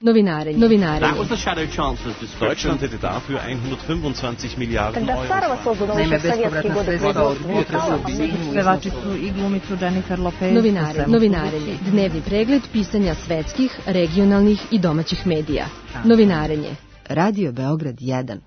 Novinarenje. That was the Shadow Chancellor's description. Deutschland hätte dafür 125 Miliarden Euro. Naime, bespovratna sredstva od potresa u Briselu. Pevačicu i glumicu Jennifer Lopez. Novinarenje. Dnevni pregled pisanja svetskih, regionalnih i domaćih medija. Novinarenje. Radio Beograd 1.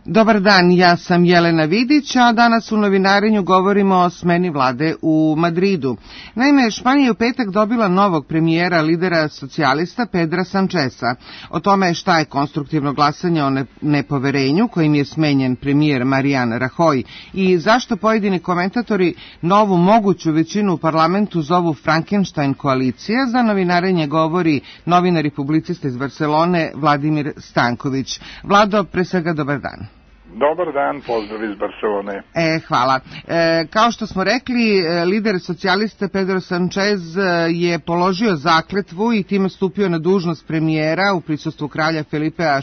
Dobar dan, ja sam Jelena Vidić, a danas u novinarenju govorimo o smeni vlade u Madridu. Naime, Španija je u petak dobila novog premijera, lidera socijalista Pedra Sancheza. O tome šta je konstruktivno glasanje o nepoverenju kojim je smenjen premijer Mariano Rajoy i zašto pojedini komentatori novu moguću većinu u parlamentu zovu Frankenstein koalicija, za novinarenje govori novinar i publicista iz Barcelone Vladimir Stanković. Vlado, pre svega dobar dan. Dobar dan, pozdrav iz Barcelone. Hvala. Kao što smo rekli, lider socijalista Pedro Sanchez je položio zakletvu i time stupio na dužnost premijera u prisustvu kralja Felipea VI.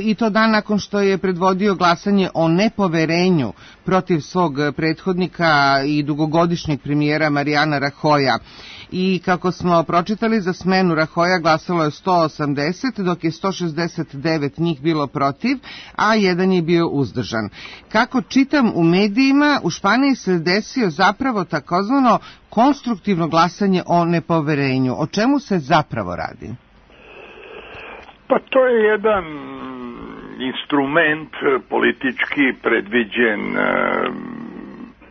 I to dan nakon što je predvodio glasanje o nepoverenju protiv svog prethodnika i dugogodišnjeg premijera Mariana Rajoya. I kako smo pročitali, za smenu Rajoya glasalo je 180, dok je 169 njih bilo protiv, a jedan je bio uzdržan. Kako čitam u medijima, u Španiji se desio zapravo takozvano konstruktivno glasanje o nepoverenju. O čemu se zapravo radi? Pa to je jedan instrument politički predviđen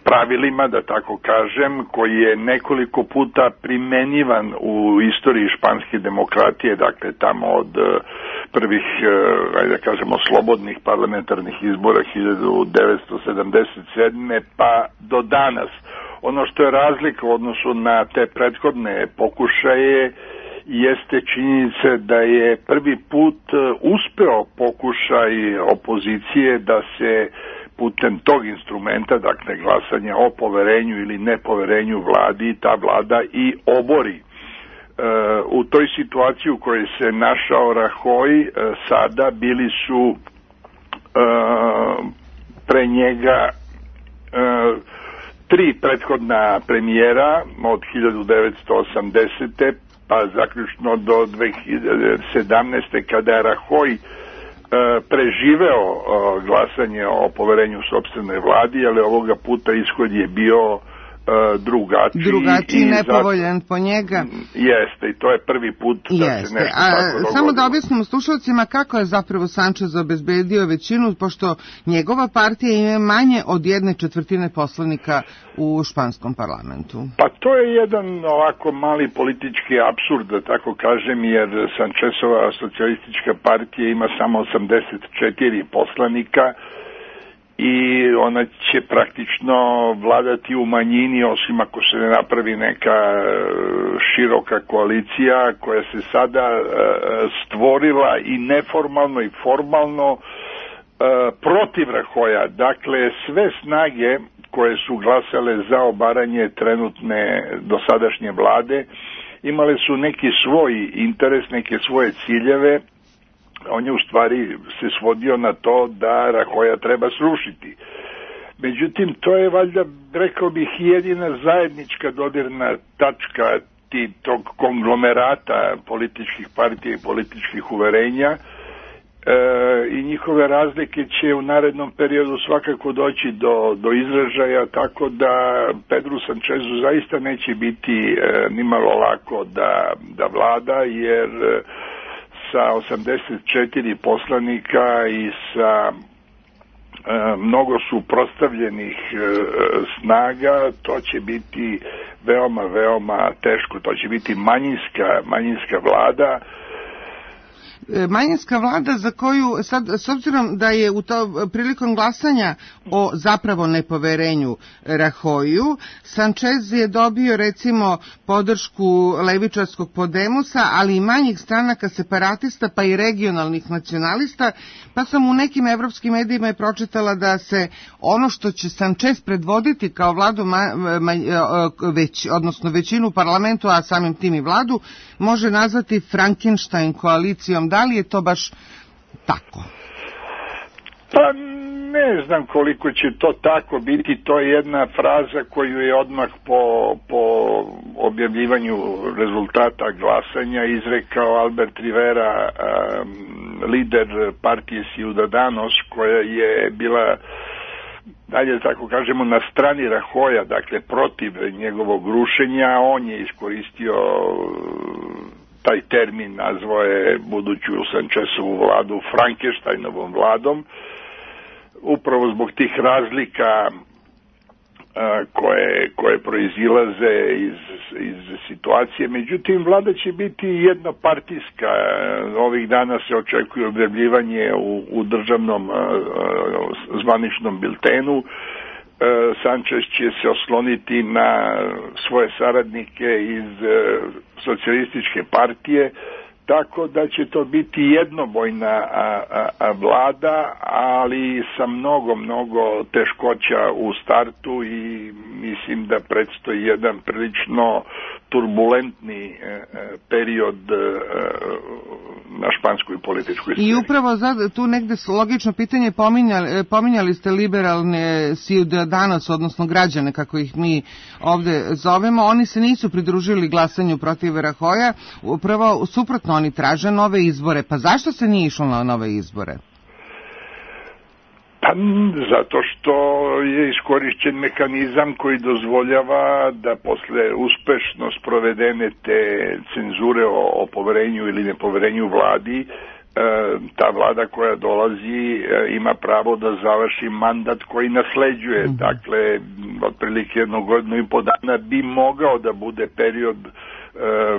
pravilima, da tako kažem, koji je nekoliko puta primenjivan u istoriji španske demokratije, dakle tamo od prvih, ajde da kažemo, slobodnih parlamentarnih izbora 1977. pa do danas. Ono što je razlika u odnosu na te prethodne pokušaje jeste činjenica da je prvi put uspeo pokušaj opozicije da se putem tog instrumenta, dakle glasanja o poverenju ili nepoverenju vladi, ta vlada i obori. U toj situaciji u kojoj se našao Rajoy, sada bili su pre njega tri prethodna premijera od 1980. pa zaključno do 2017. kada je Rajoy preživeo glasanje o poverenju sopstvenoj vladi, ali ovoga puta ishod je bio drugačiji, nepovoljan po njega. Jeste, i to je prvi put da se nešto tako dogodilo. Samo da objasnimo slušalcima kako je zapravo Sanchez obezbedio većinu, pošto njegova partija ima manje od 1/4 poslanika u španskom parlamentu. Pa to je jedan ovako mali politički apsurd, da tako kažem, jer Sanchezova socijalistička partija ima samo 84 poslanika, i ona će praktično vladati u manjini, osim ako se ne napravi neka široka koalicija koja se sada stvorila i neformalno i formalno protiv Rajoya. Dakle, sve snage koje su glasale za obaranje trenutne dosadašnje vlade imale su neki svoj interes, neke svoje ciljeve. On je u stvari se svodio na to da Rajoya treba srušiti. Međutim, to je valjda, rekao bih, jedina zajednička dodirna tačka tog konglomerata političkih partija i političkih uverenja, i njihove razlike će u narednom periodu svakako doći do izražaja, tako da Pedru Sanchezu zaista neće biti nimalo lako da vlada, jer sa 84 poslanika i sa mnogo suprotstavljenih snaga, to će biti veoma, veoma teško. To će biti manjinska vlada. Manjinska vlada za koju, sad, s obzirom da je u to prilikom glasanja o zapravo nepoverenju Rajoyu, Sanchez je dobio recimo podršku levičarskog Podemosa, ali i manjih stranaka separatista pa i regionalnih nacionalista, pa sam u nekim evropskim medijima je pročitala da se ono što će Sanchez predvoditi kao vladu, odnosno većinu u parlamentu, a samim tim i vladu, može nazvati Frankenstein koalicijom. Da li je to baš tako? Pa ne znam koliko će to tako biti, to je jedna fraza koju je odmah po objavljivanju rezultata glasanja izrekao Albert Rivera, lider partije Ciudadanos, koja je bila, dalje tako kažemo, na strani Rajoja, dakle protiv njegovog rušenja. On je iskoristio taj termin, nazvao je buduću Sanchezovu vladu Frankensteinovom vladom, upravo zbog tih razlika koje proizilaze iz situacije. Međutim, vlada će biti jednopartijska. Ovih dana se očekuje objavljivanje u državnom zvaničnom biltenu. Sanchez će se osloniti na svoje saradnike iz socijalističke partije, tako da će to biti jednobojna vlada, ali sa mnogo teškoća u startu i mislim da predstoji jedan prilično turbulentni period na španskoj političkoj sceni. I upravo tu negde logično pitanje, pominjali ste liberalne Ciudadanos, odnosno građane, kako ih mi ovde zovemo, oni se nisu pridružili glasanju protiv Rajoja, upravo suprotno, oni traže nove izbore. Pa zašto se nije išlo na nove izbore? Pa zato što je iskorišćen mehanizam koji dozvoljava da posle uspešno sprovedene te cenzure o poverenju ili nepoverenju vladi, ta vlada koja dolazi ima pravo da završi mandat koji nasleđuje. Dakle, otprilike 1 godinu i po dana bi mogao da bude period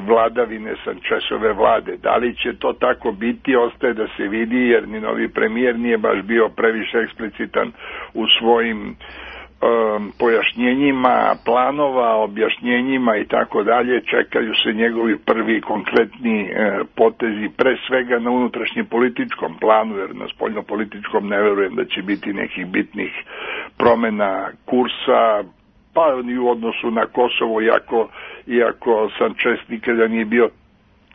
vladavine Sanchezove vlade. Da li će to tako biti, ostaje da se vidi, jer ni novi premijer nije baš bio previše eksplicitan u svojim pojašnjenjima planova, objašnjenjima i tako dalje. Čekaju se njegovi prvi konkretni potezi, pre svega na unutrašnjem političkom planu, jer na spoljnopolitičkom ne verujem da će biti nekih bitnih promena kursa, pa i u odnosu na Kosovo, iako Sanchez nikada nije bio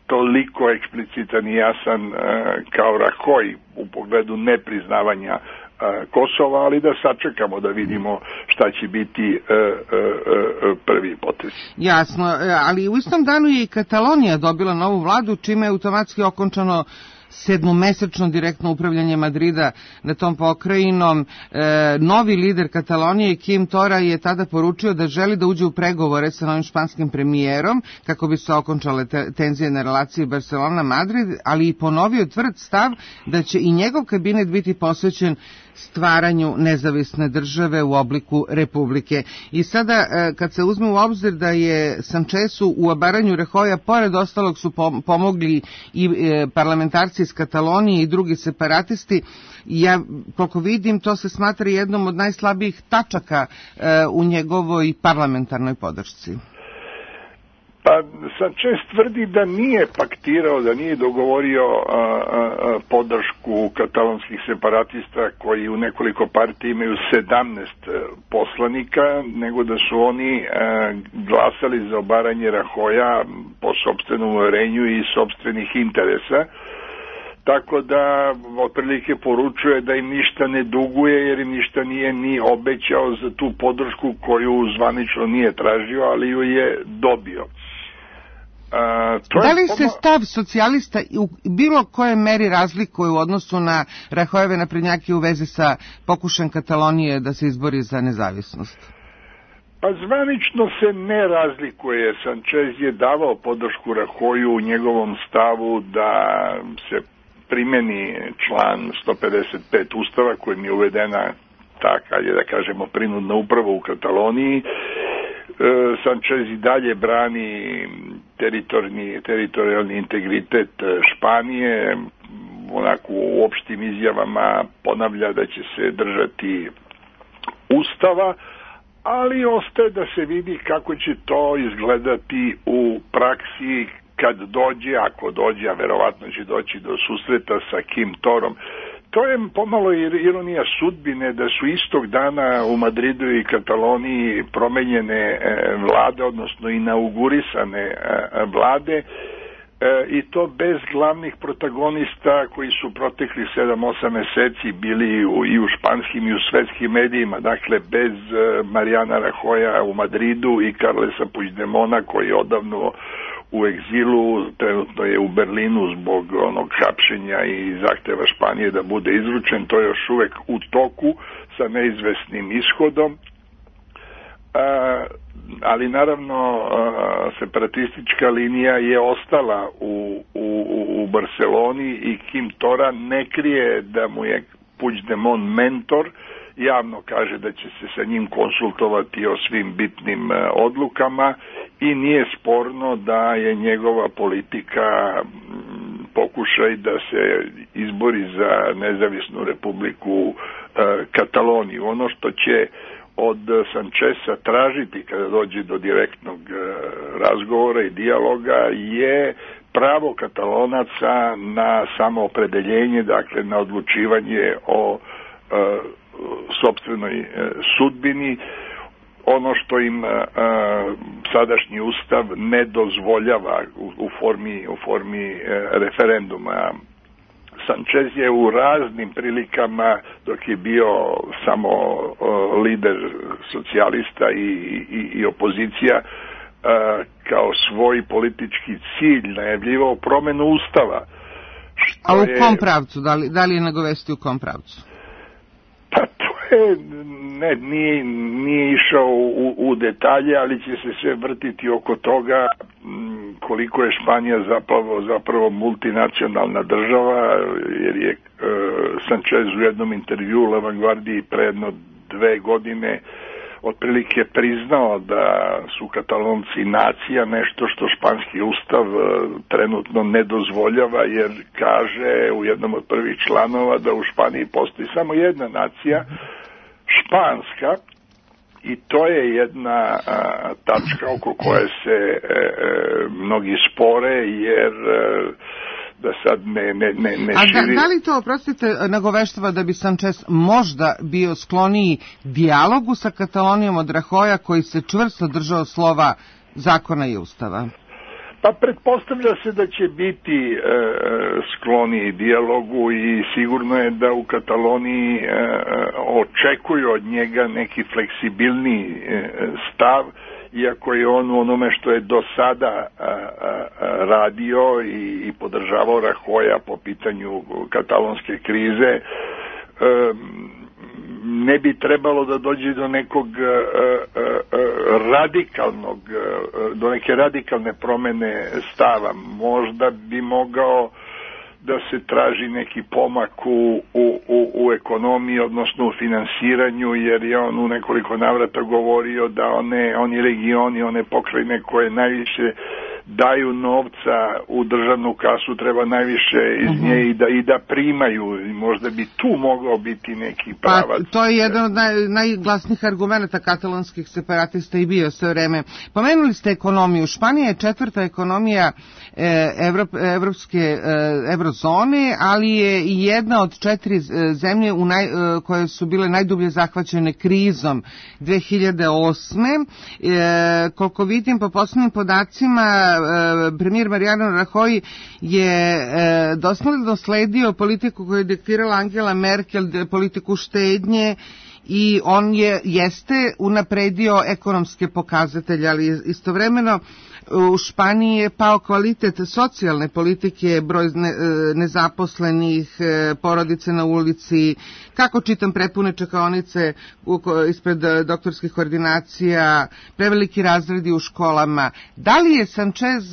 toliko eksplicitan i jasan kao Rajoy u pogledu nepriznavanja Kosova, ali da sačekamo da vidimo šta će biti prvi potez. Jasno, ali u istom danu je i Katalonija dobila novu vladu, čime je automatski okončano 7-mesečno direktno upravljanje Madrida na tom pokrajinom. Novi lider Katalonije, Quim Torra, je tada poručio da želi da uđe u pregovore sa novim španskim premijerom kako bi se okončale tenzije na relaciji Barcelona-Madrid, ali i ponovio tvrd stav da će i njegov kabinet biti posvećen stvaranju nezavisne države u obliku republike. I sada, kad se uzme u obzir da je Sanchezu u obaranju Rajoja, pored ostalog su pomogli i parlamentarci iz Katalonije i drugi separatisti, ja, koliko vidim, to se smatra jednom od najslabijih tačaka u njegovoj parlamentarnoj podršci. Pa Sanchez tvrdi da nije paktirao, da nije dogovorio podršku katalonskih separatista koji u nekoliko partija imaju 17 poslanika, nego da su oni glasali za obaranje Rajoja po sopstvenom uverenju i sopstvenih interesa. Tako da otprilike poručuje da im ništa ne duguje, jer im ništa nije ni obećao za tu podršku koju zvanično nije tražio, ali ju je dobio. Da li se stav socijalista u bilo koje meri razlikuje u odnosu na Rajojeve naprednjake u vezi sa pokušajem Katalonije da se izbori za nezavisnost? Pa zvanično se ne razlikuje. Sanchez je davao podršku Rajoju u njegovom stavu da se primeni član 155 Ustava kojim je uvedena ta, da kažemo, prinudna uprava u Kataloniji. Sanchez i dalje brani teritorijalni integritet Španije, onako u opštim izjavama ponavlja da će se držati Ustava, ali ostaje da se vidi kako će to izgledati u praksi kad dođe, ako dođe, a verovatno će doći do susreta sa Quim Torrom. To je pomalo ironija sudbine da su istog dana u Madridu i Kataloniji promenjene vlade, odnosno inaugurisane vlade. i to bez glavnih protagonista koji su proteklih 7-8 meseci bili i u španskim i u svetskim medijima, dakle bez Mariana Rajoya u Madridu i Carlesa Puigdemona koji je odavno u egzilu, trenutno je u Berlinu zbog onog hapšenja i zahteva Španije da bude izručen, to je još uvek u toku sa neizvesnim ishodom. Ali naravno separatistička linija je ostala u Barceloni i Quim Torra ne krije da mu je Puigdemont mentor, javno kaže da će se sa njim konsultovati o svim bitnim odlukama i nije sporno da je njegova politika pokušaj da se izbori za nezavisnu republiku Kataloniju. Ono što će od Sancheza tražiti kada dođe do direktnog razgovora i dijaloga je pravo Katalonaca na samoopredeljenje, dakle na odlučivanje o sopstvenoj sudbini, ono što im sadašnji ustav ne dozvoljava u formi referenduma. Sanchez je u raznim prilikama, dok je bio samo lider socijalista i opozicija, kao svoj politički cilj najavljivao promenu ustava. A u kom pravcu? Da li je nagovestio u kom pravcu? Pa to je, nije išao u detalje, ali će se sve vrtiti oko toga koliko je Španija zapravo multinacionalna država, jer je Sanchez u jednom intervjuu La Vanguardiji pre jedno 2 godine otprilike priznao da su Katalonci nacija, nešto što španski ustav trenutno ne dozvoljava, jer kaže u jednom od prvih članova da u Španiji postoji samo jedna nacija, španska, i to je jedna tačka oko koje se mnogi spore, jer da sad ne širi... Da li to, oprostite, nagoveštava da bi Sanchez možda bio skloniji dijalogu sa Katalonijom od Rajoya, koji se čvrsto držao slova zakona i ustava? Pa pretpostavlja se da će biti skloniji dijalogu i sigurno je da u Kataloniji očekuju od njega neki fleksibilniji stav, iako je on u onome što je do sada radio i podržavao Rajoya po pitanju katalonske krize, ne bi trebalo da dođe do nekog do neke radikalne promene stava. Možda bi mogao da se traži neki pomak u ekonomiji, odnosno u finansiranju, jer je on u nekoliko navrata govorio da oni regioni, one pokrajine koje najviše daju novca u državnu kasu, treba najviše iz nje i da primaju, i možda bi tu mogao biti neki pravac. Pa to je jedan od najglasnijih argumenta katalonskih separatista i bio sve vreme. Pomenuli ste ekonomiju. Španija je 4. ekonomija evrozone, ali je i jedna od 4 zemlje koje su bile najdublje zahvaćene krizom 2008. Koliko vidim po poslednjim podacima, premijer Mariano Rajoy je dosledno sledio politiku koju je diktirala Angela Merkel, politiku štednje, i on jeste unapredio ekonomske pokazatelje, ali istovremeno u Španiji je pao kvalitet socijalne politike, broj nezaposlenih, porodice na ulici, kako čitam prepune čekaonice ispred doktorskih ordinacija, preveliki razredi u školama. Da li je Sanchez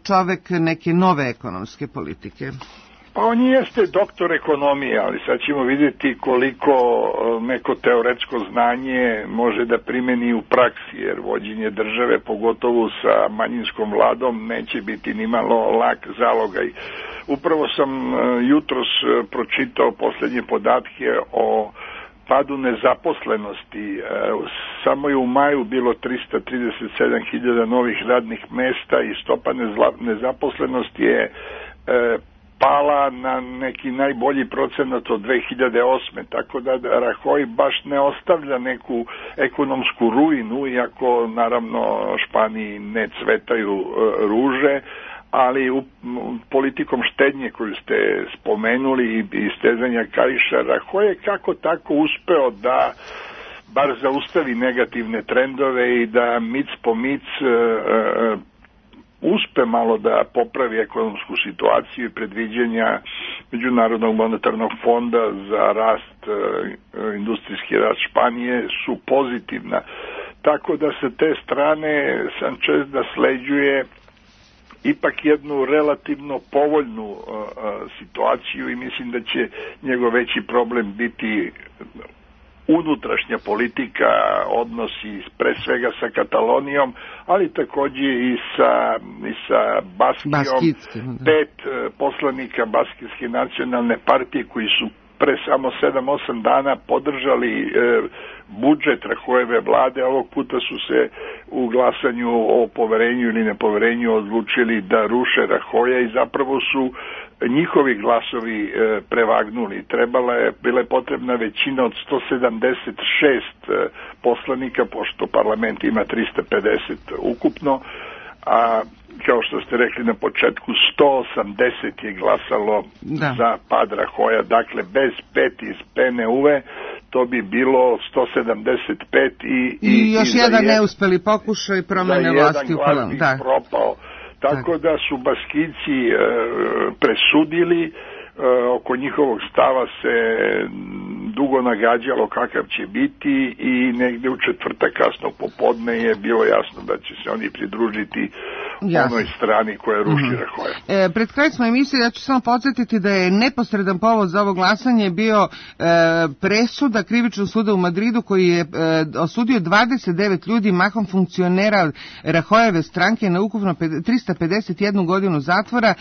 čovek neke nove ekonomske politike? Pa on jeste doktor ekonomije, ali sad ćemo vidjeti koliko neko teoretsko znanje može da primeni u praksi, jer vođenje države, pogotovo sa manjinskom vladom, neće biti nimalo lak zalogaj. Upravo sam jutros pročitao posljednje podatke o padu nezaposlenosti. Samo je u maju bilo 337.000 novih radnih mesta i stopa nezaposlenosti je pala na neki najbolji procenat od 2008. Tako da Rajoy baš ne ostavlja neku ekonomsku ruinu, iako naravno Španiji ne cvetaju ruže, ali politikom štednje koju ste spomenuli i stezanja kaiša, Rajoy je kako tako uspeo da bar zaustavi negativne trendove i da mic po mic uspe malo da popravi ekonomsku situaciju i predviđenja Međunarodnog monetarnog fonda za rast, industrijski rast Španije su pozitivna. Tako da sa te strane Sanchez nasleđuje ipak jednu relativno povoljnu situaciju i mislim da će njegov veći problem biti unutrašnja politika, odnosi pre svega sa Katalonijom, ali takođe i sa Baskijom. 5 poslanika Baskijske nacionalne partije koji su pre samo 7-8 dana podržali budžet Rajoyeve vlade, ovog puta su se u glasanju o poverenju ili nepoverenju odlučili da ruše Rajoya i zapravo su njihovi glasovi prevagnuli. Bila je potrebna većina od 176 poslanika, pošto parlament ima 350 ukupno, a kao što ste rekli na početku, 180 je glasalo za pad Rajoya, dakle bez 5 iz PNU-e to bi bilo 175 i još jedan neuspeli pokušaj promene vlasti u parlamentu. Propao. Tako da su Baskijci presudili, oko njihovog stava se dugo nagađalo kakav će biti i negde u četvrtak kasno popodne je bilo jasno da će se oni pridružiti onoj strani koja ruši Rajoya. Pred kraj smo emisije, ja ću samo podsjetiti da je neposredan povod za ovo glasanje bio presuda Krivičnog suda u Madridu koji je osudio 29 ljudi, mahom funkcionera Rajoyeve stranke na ukupno 351 godinu zatvora.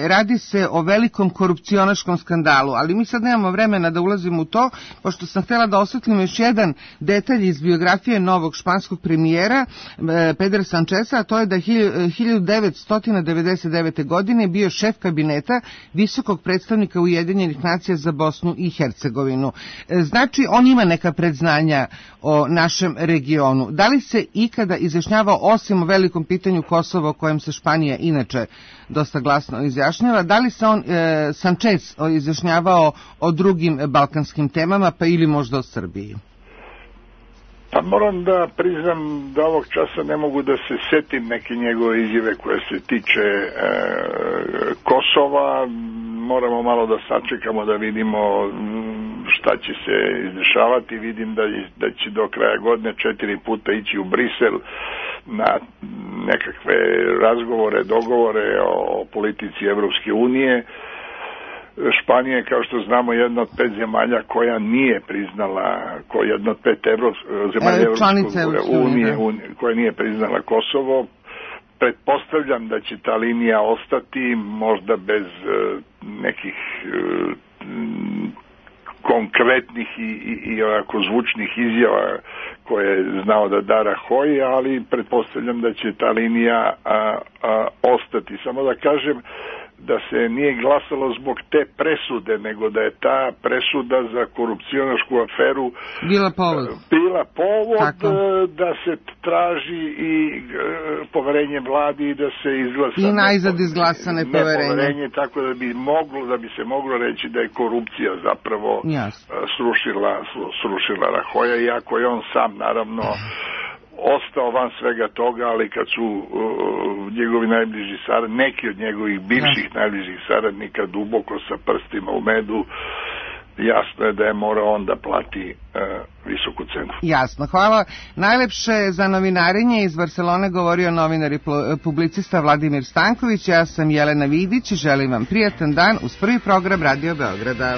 Radi se o velikom korupcionaškom skandalu, ali mi sad nemamo vremena da ulazimo u to, pošto sam htjela da osvetlim još jedan detalj iz biografije novog španskog premijera Pedra Sancheza, a to je da 1999. godine bio šef kabineta visokog predstavnika Ujedinjenih nacija za Bosnu i Hercegovinu. Znači, on ima neka predznanja o našem regionu. Da li se ikada izjašnjavao, osim o velikom pitanju Kosova, o kojem se Španija inače dosta glasno izjašnjava, da li se Sanchez izjašnjavao o drugim balkanskim temama, pa ili možda o Srbiji? Pa moram da priznam da ovog časa ne mogu da se setim neke njegove izjave koje se tiče Kosova. Moramo malo da sačekamo da vidimo šta će se izdešavati. Vidim da će do kraja godine 4 puta ići u Brisel na nekakve razgovore, dogovore o politici Evropske unije. Španija je, kao što znamo, jedna od 5 zemalja koja nije priznala, jedna od 5 zemalja Evropske unije koja nije priznala Kosovo. Pretpostavljam da će ta linija ostati, možda bez nekih konkretnih i onako zvučnih izjava koje je znao da da Rajoy, ali pretpostavljam da će ta linija ostati. Samo da kažem da se nije glasalo zbog te presude, nego da je ta presuda za korupcionašku aferu bila povod da se traži i poverenje vladi i da se izglasa i najzad izglasane poverenje, tako da bi se moglo reći da je korupcija zapravo srušila Rajoya, iako je on sam naravno ostao van svega toga, ali kad su njegovi najbliži saradnici, neki od njegovih bivših najbližih saradnika duboko sa prstima u medu, jasno je da je morao on da plati visoku cenu. Jasno, hvala. Najlepše za novinarenje iz Barcelone govorio novinar i publicista Vladimir Stanković. Ja sam Jelena Vidić i želim vam prijatan dan uz prvi program Radio Beograda.